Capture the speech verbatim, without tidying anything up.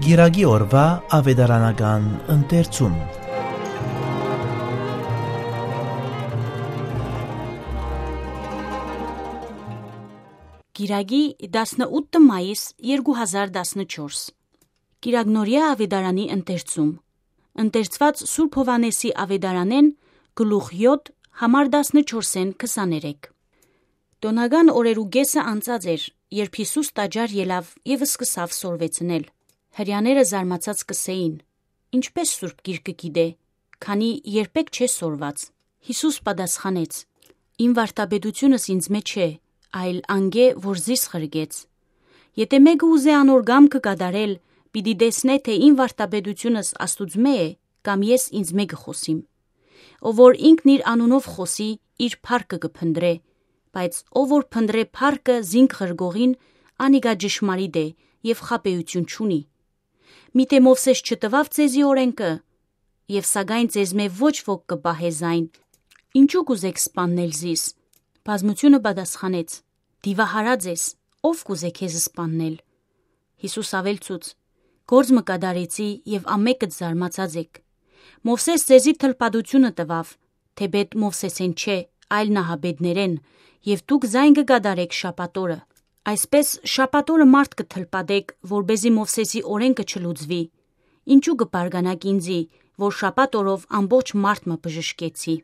Կիրակի օրուայ աւետարանական ընթերցում։ Կիրակի, տասնութ մայիս երկու հազար տասնչորս։ Կիրակնորեայ աւետարանի ընթերցում։ Ընթերցուած Սուրբ Յովհաննէսի աւետարանէն, գլուխ յոթ, համար տասնչորսէն քսաներեք։ Տօնական օրերու կէսը անցած էր, երբ Յիսուս տաճար ելաւ եւ սկսաւ սորվեցնել։ Հրեաները զարմացած կ'ըսէին. «Ինչպէս Սուրբ Գիրքը գիտէ, քանի երբեք չէ սորված»։ Յիսուս պատասխանեց. «Իմ վարդապետութիւնս ինծմէ չէ, այլ անկէ, որ զիս ղրկեց։ Եթէ մէկը ուզէ անոր կամքը կատարել, պիտի տեսնէ թէ իմ վարդապետութիւնս Աստուծմէ է, կամ ես ինծմէ կը խօսիմ։ Ով որ ինքն իր անունով խօսի, իր փառքը կը փնտռէ, բայց ով որ փնտռէ փառքը զինք ղրկողին, անիկա ճշմարիտ է եւ խաբէութիւն չունի։ Միթէ Մովսէս չտուաւ ձեզի օրէնքը, եւ սակայն ձեզմէ ոչ ոք կը պահէ զայն։ Ինչո՞ւ կ'ուզէք սպաննել զիս»։ Բազմութիւնը պատասխանեց. «Դիւահարած ես, ո՞վ կ'ուզէ քեզ սպաննել»։ Յիսուս աւելցուց. «Գործ մը կատարեցի եւ ամէկդ զարմացած էք։ Մովսէս ձեզի թլպատութիւնը տուաւ, թէպէտ Մովսէսէն չէ, այլ նահապետներէն, եւ դուք զայն կը կատարէք շաբաթ օրը։ Այսպէս շաբաթ օրը մարդ կը թլպատէք, որպէզի Մովսէսի օրէնքը չլուծուի։ Ինչո՞ւ կը բարկանաք ինծի, որ շաբաթ օրով ամբողջ մարդ մը բժշկեցի»։